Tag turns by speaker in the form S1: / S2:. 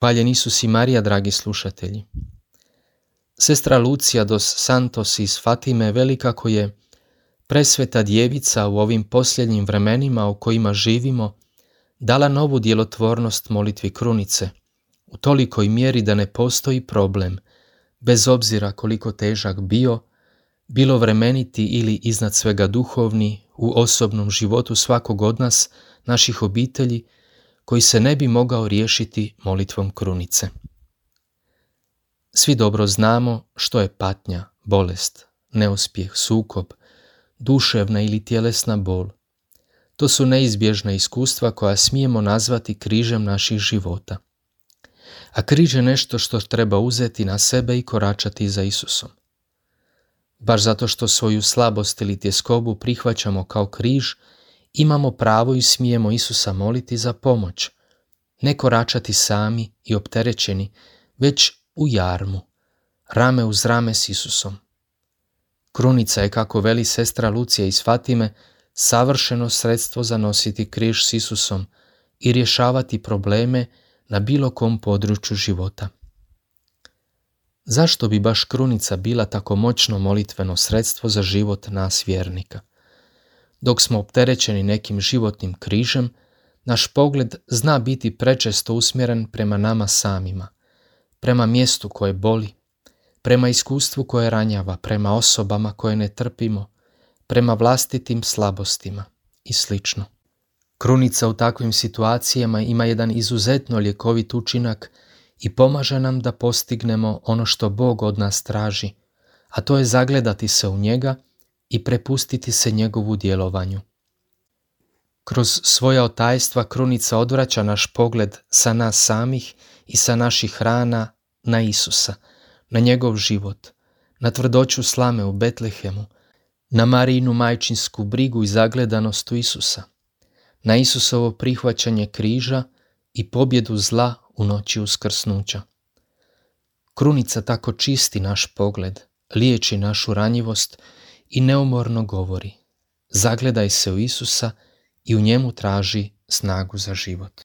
S1: Hvaljen Isus i Marija, dragi slušatelji. Sestra Lucija dos Santos iz Fatime veli kako je presveta djevica u ovim posljednjim vremenima u kojima živimo dala novu djelotvornost molitvi krunice, u tolikoj mjeri da ne postoji problem, bez obzira koliko težak bio, bilo vremeniti ili iznad svega duhovni, u osobnom životu svakog od nas, naših obitelji, koji se ne bi mogao riješiti molitvom krunice. Svi dobro znamo što je patnja, bolest, neuspjeh, sukob, duševna ili tjelesna bol. To su neizbježna iskustva koja smijemo nazvati križem naših života. A križ je nešto što treba uzeti na sebe i koračati za Isusom. Baš zato što svoju slabost ili tjeskobu prihvaćamo kao križ, imamo pravo i smijemo Isusa moliti za pomoć, ne koračati sami i opterećeni, već u jarmu, rame uz rame s Isusom. Krunica je, kako veli sestra Lucija iz Fatime, savršeno sredstvo za nositi križ s Isusom i rješavati probleme na bilo kom području života. Zašto bi baš krunica bila tako moćno molitveno sredstvo za život nas vjernika? Dok smo opterećeni nekim životnim križem, naš pogled zna biti prečesto usmjeren prema nama samima, prema mjestu koje boli, prema iskustvu koje ranjava, prema osobama koje ne trpimo, prema vlastitim slabostima i sl. Krunica u takvim situacijama ima jedan izuzetno ljekovit učinak i pomaže nam da postignemo ono što Bog od nas traži, a to je zagledati se u njega i prepustiti se njegovu djelovanju. Kroz svoja otajstva krunica odvraća naš pogled sa nas samih i sa naših rana na Isusa, na njegov život, na tvrdoću slame u Betlehemu, na Marijinu majčinsku brigu i zagledanost u Isusa, na Isusovo prihvaćanje križa i pobjedu zla u noći uskrsnuća. Krunica tako čisti naš pogled, liječi našu ranjivost i neumorno govori: zagledaj se u Isusa i u njemu traži snagu za život.